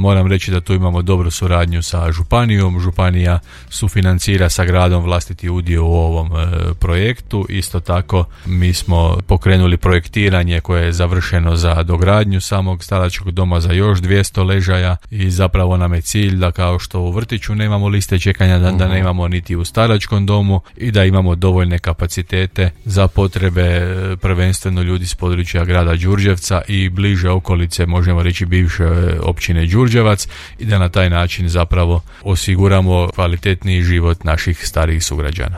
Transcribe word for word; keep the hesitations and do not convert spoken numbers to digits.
Moram reći da tu imamo dobru suradnju sa županijom. Županija sufinancira sa gradom vlastiti udio u ovom e, projektu. Isto tako mi smo pokrenuli projektiranje koje je završeno za dogradnju samog staračkog doma za još dvjesto ležaja i zapravo nam je cilj da kao što u vrtiću nemamo liste čekanja, da, da nemamo niti u staračkom domu i da imamo dovoljne kapacitete za potrebe prvenstveno ljudi s područja grada Đurđevca i bliže okolice, možemo reći bivše općine Đurđevac, i da na taj način zapravo osiguramo kvalitetniji život naših starijih sugrađana.